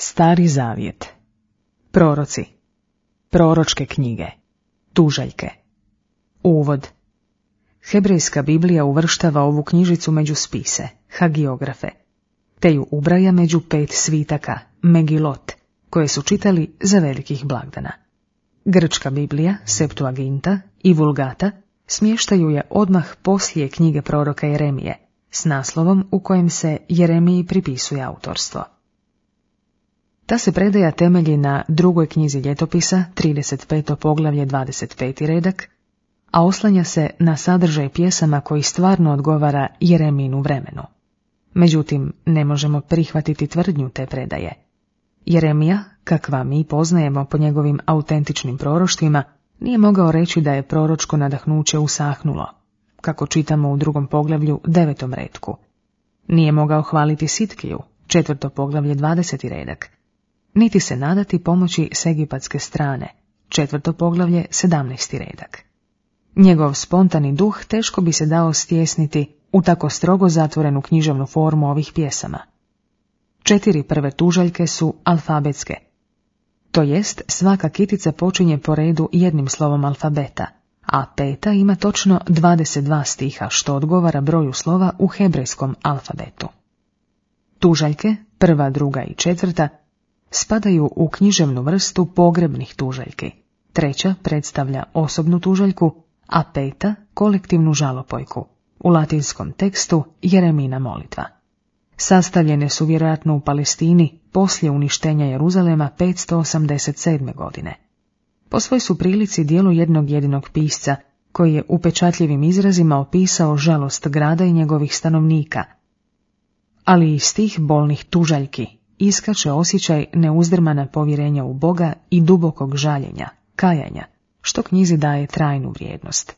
Stari zavjet. Proroci. Proročke knjige. Tužaljke. Uvod. Hebrejska Biblija uvrštava ovu knjižicu među spise, hagiografe, te ju ubraja među 5 svitaka, Megilot, koje su čitali za velikih blagdana. Grčka Biblija, Septuaginta i Vulgata smještaju je odmah poslije knjige proroka Jeremije, s naslovom u kojem se Jeremiji pripisuje autorstvo. Ta se predaja temelji na drugoj knjizi ljetopisa, 35. poglavlje, 25. redak, a oslanja se na sadržaj pjesama koji stvarno odgovara Jereminu vremenu. Međutim, ne možemo prihvatiti tvrdnju te predaje. Jeremija, kakva mi poznajemo po njegovim autentičnim proroštvima, nije mogao reći da je proročko nadahnuće usahnulo, kako čitamo u drugom poglavlju, 9. retku. Nije mogao hvaliti Sitkiju, 4. poglavlje, 20. redak, niti se nadati pomoći s egipatske strane, 4. poglavlje, 17. redak. Njegov spontani duh teško bi se dao stjesniti u tako strogo zatvorenu književnu formu ovih pjesama. 4 prve tužaljke su alfabetske, to jest svaka kitica počinje po redu jednim slovom alfabeta, a 5. ima točno 22 stiha, što odgovara broju slova u hebrejskom alfabetu. Tužaljke, 1., 2. i 4. spadaju u književnu vrstu pogrebnih tužaljki, 3. predstavlja osobnu tužaljku, a 5. kolektivnu žalopojku, u latinskom tekstu Jeremina molitva. Sastavljene su vjerojatno u Palestini poslije uništenja Jeruzalema 587. godine. Po svoj su prilici djelo jednog jedinog pisca, koji je upečatljivim izrazima opisao žalost grada i njegovih stanovnika, ali iz tih bolnih tužaljki iskače osjećaj neuzdrmana povjerenja u Boga i dubokog žaljenja, kajanja, što knjizi daje trajnu vrijednost.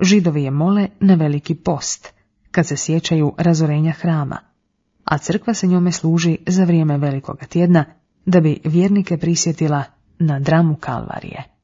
Židovi je mole na Veliki post, kad se sjećaju razorenja hrama, a crkva se njome služi za vrijeme Velikoga tjedna, da bi vjernike prisjetila na dramu Kalvarije.